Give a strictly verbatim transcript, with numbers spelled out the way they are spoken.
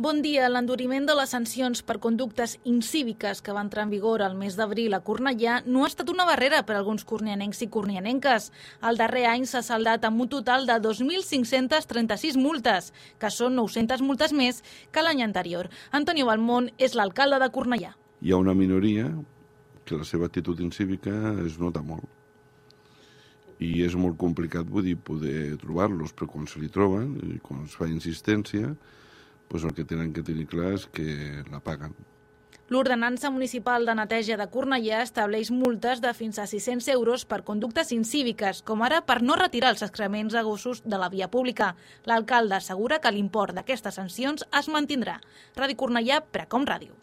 Bon dia. L'enduriment de les sancions per conductes incíviques que va entrar en vigor el mes d'abril a Cornellà no ha estat una barrera per a alguns cornianencs i cornianenques. El darrer any s'ha saldat amb un total de dos mil cinc-centes trenta-sis multes, que són nou-centes multes més que l'any anterior. Antonio Balmón és l'alcalde de Cornellà. Hi ha una minoria que la seva actitud incívica es nota molt. I és molt complicat, vull dir, poder trobar-los, però quan se li troben, i quan es fa insistència, doncs el que tenen que tenir clar és que la paguen. L'Ordenança Municipal de Neteja de Cornellà estableix multes de fins a sis-cents euros per conductes incíviques, com ara per no retirar els excrements a gossos de la via pública. L'alcalde assegura que l'import d'aquestes sancions es mantindrà. Ràdio Cornellà, Precom Ràdio.